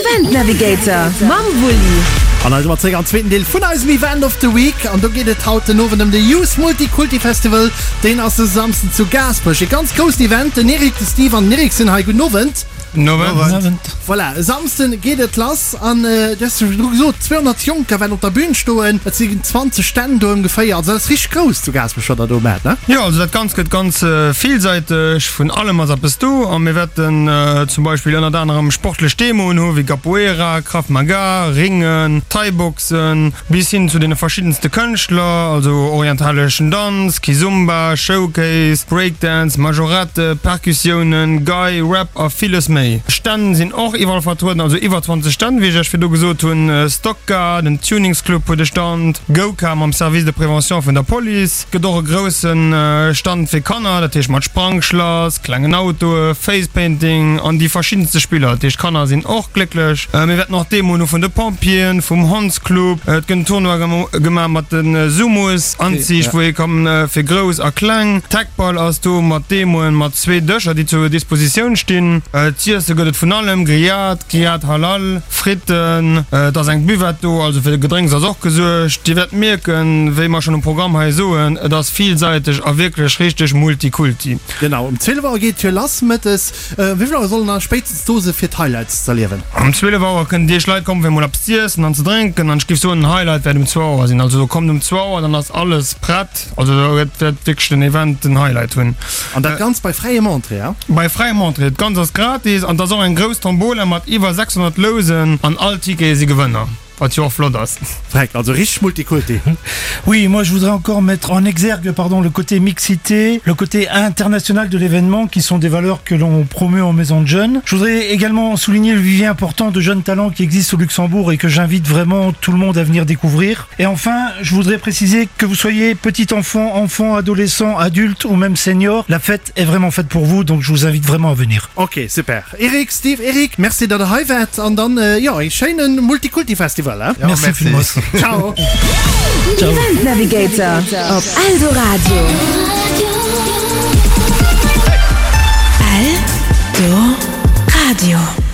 Event Navigator mam Wulli. An hei si mer zeréck am zweeten Deel vun eisem Event of the Week. An do geet et haut den Owend ëm de Youth Multikulti Festival. Deen ass e Samsden zu Gaasperech. E ganz groussen Event. Den Eric, de Steve an den Eric sinn hei. Gudden Owend. Nowend. Voilà, e Samsden geet et lass an du has jo virdru gesot, 200 Jonker wäerten op der Bühn stoen. Et si 20 Stänn do ëmgeféier. Also dat ass richteg grouss zu Gaasperech, wat der do maacht, ne? Jo, also dat Ganzt gëtt ganz villsäiteg. Vun allem ass eppes do a mir wäerten zum Beispill ënnert anerem sportlech Demoen hu wéi Capoeira, Krav Maga, Ringen, Thai-Boxen, bis hin zu deene verschiddenste Kënschtler, also orientaleschen Danz, Kizomba, Showcase, Breakdance, Majorette, Perkussiounen, Gei, Rap a villes méi. Stänn sinn och iwwerall vertrueden, also iwwer 20 Stänn, wéi ech Iech virdu gesot hunn, Stockcar, den Tuningsclub huet e Stand, Go-Car mam Service de prévention vun der Police. Et gëtt och e grousse Stand fir Kanner, dat heescht mat Sprangschlass, klengen Autoe, Facepainting an déi verschiddenste Spiller. Dat heescht d'Kanner sinn och glécklech. Mir wäerten och Demoen hu vun de Pompjeeën, vum Hondsclub. Et gëtt en Tournoi gemaach mat de Sumos-Anzich, wou ee kann fir Grouss a Kleng. Teqball ass do mat Demoen, mat zwee Dëscher, déi zur Dispositioun stinn. Z'iesse gëtt et vun allem, Grillade, Grillade Halal. Fritten, et ass eng Buvette do, also fir de Gedrénks ass och gesuergt. Dir wäert mierken, wéi mer schonn um Programm hei soen, et ass villsäiteg a wierklech richteg Multikulti. Genau, um 12 Auer geet d'Tür lass mëttes. Wéi vill Auer sollen da spéitstens do se fir d'Highlights z'erliewen? Um 12 Auer kënnen déi éischt Leit kommen fir emol eppes z'iessen an ze drénken an ech géif soen, den Highlight wäert um zwou Auer sinn. Also kommt um zwou Auer, dann ass alles prett. Also do wäert wierklech den Event den Highlight hunn. An dat Ganzt bei fräiem Entrée, ja? Bei fräiem Entrée. Dat Ganzt ass gratis an et ass och eng grouss Tombola mat iwwer 600 Lousen an all Tickete si Gewënner, wat jo och flott ass. Freck, also richteg Multikulti. Oui, moi je voudrais encore mettre en exergue pardon, le côté mixité, le côté international de l'événement qui sont des valeurs que l'on promeut en maison de jeunes. Je voudrais également souligner le vivier important de jeunes talents qui existent au Luxembourg et que j'invite vraiment tout le monde à venir découvrir. Et enfin, je voudrais préciser que vous soyez petit enfant, enfant, adolescent, adulte ou même senior, la fête est vraiment faite pour vous, donc je vous invite vraiment à venir. Ok, super. Eric, Steve, Eric, merci datt der hei waart an dann jo ee schéine Multikulti Festival hein. Ja, merci villmools. Ciao. Event Navigator op Eldoradio. Eldoradio.